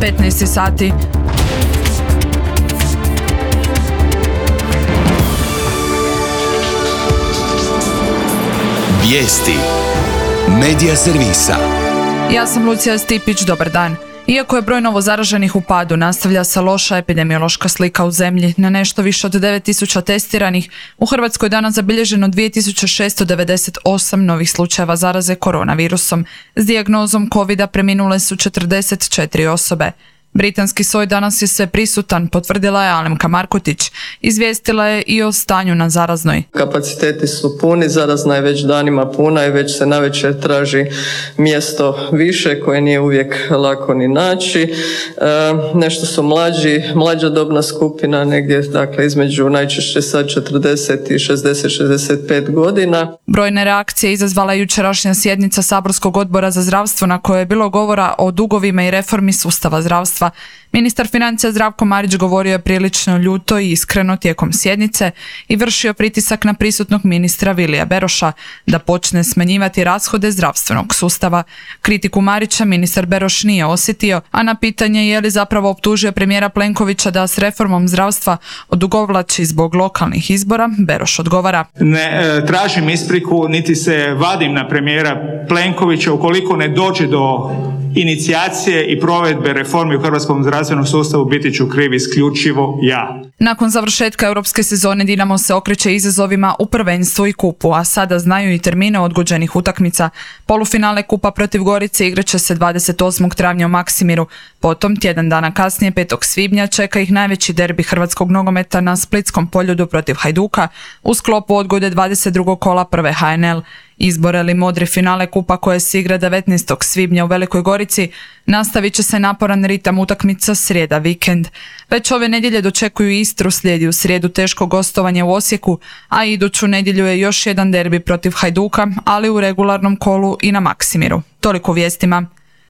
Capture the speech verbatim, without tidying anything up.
petnaest sati. Vijesti Medija servisa. Ja sam Lucija Stipić, dobar dan. Iako je broj novozaraženih u padu, nastavlja se loša epidemiološka slika u zemlji. Na nešto više od devet tisuća testiranih, u Hrvatskoj je danas zabilježeno dvije tisuće šesto devedeset osam novih slučajeva zaraze koronavirusom. S dijagnozom kovida preminule su četrdeset četiri osobe. Britanski soj danas je sve prisutan, potvrdila je Alemka Markotić. Izvijestila je i o stanju na zaraznoj. Kapaciteti su puni, zarazna je već danima puna i već se navečer traži mjesto više koje nije uvijek lako ni naći. E, nešto su mlađi, mlađa dobna skupina, negdje dakle između najčešće sad četrdeset i šezdeset šezdeset pet godina. Brojne reakcije izazvala je jučerašnja sjednica Saborskog odbora za zdravstvo na kojoj je bilo govora o dugovima i reformi sustava zdravstva. Ministar financija Zdravko Marić govorio je prilično ljuto i iskreno tijekom sjednice i vršio pritisak na prisutnog ministra Vilija Beroša da počne smanjivati rashode zdravstvenog sustava. Kritiku Marića ministar Beroš nije osjetio, a na pitanje je li zapravo optužio premijera Plenkovića da s reformom zdravstva odugovlači zbog lokalnih izbora, Beroš odgovara: Ne e, tražim ispriku niti se vadim na premijera Plenkovića ukoliko ne dođe do inicijacije i provedbe reformi u hrvatskom zdravstvenom sustavu, biti ću kriv isključivo ja. Nakon završetka europske sezone Dinamo se okreće izazovima u prvenstvu i kupu, a sada znaju i termine odgođenih utakmica. Polufinale kupa protiv Gorice igraće se dvadeset osmog travnja u Maksimiru. Potom, tjedan dana kasnije, petog svibnja, čeka ih najveći derbi hrvatskog nogometa na Splitskom Poljudu protiv Hajduka u sklopu odgode dvadeset drugog kola prve ha en el. Izbor ili modri finale kupa koje se igra devetnaestog svibnja u Velikoj Gorici nastavit će se naporan ritam utakmica srijeda vikend. Već ove nedjelje dočekuju Istru, slijedi u srijedu teško gostovanje u Osijeku, a iduću nedjelju je još jedan derbi protiv Hajduka, ali u regularnom kolu i na Maksimiru. Toliko vijestima.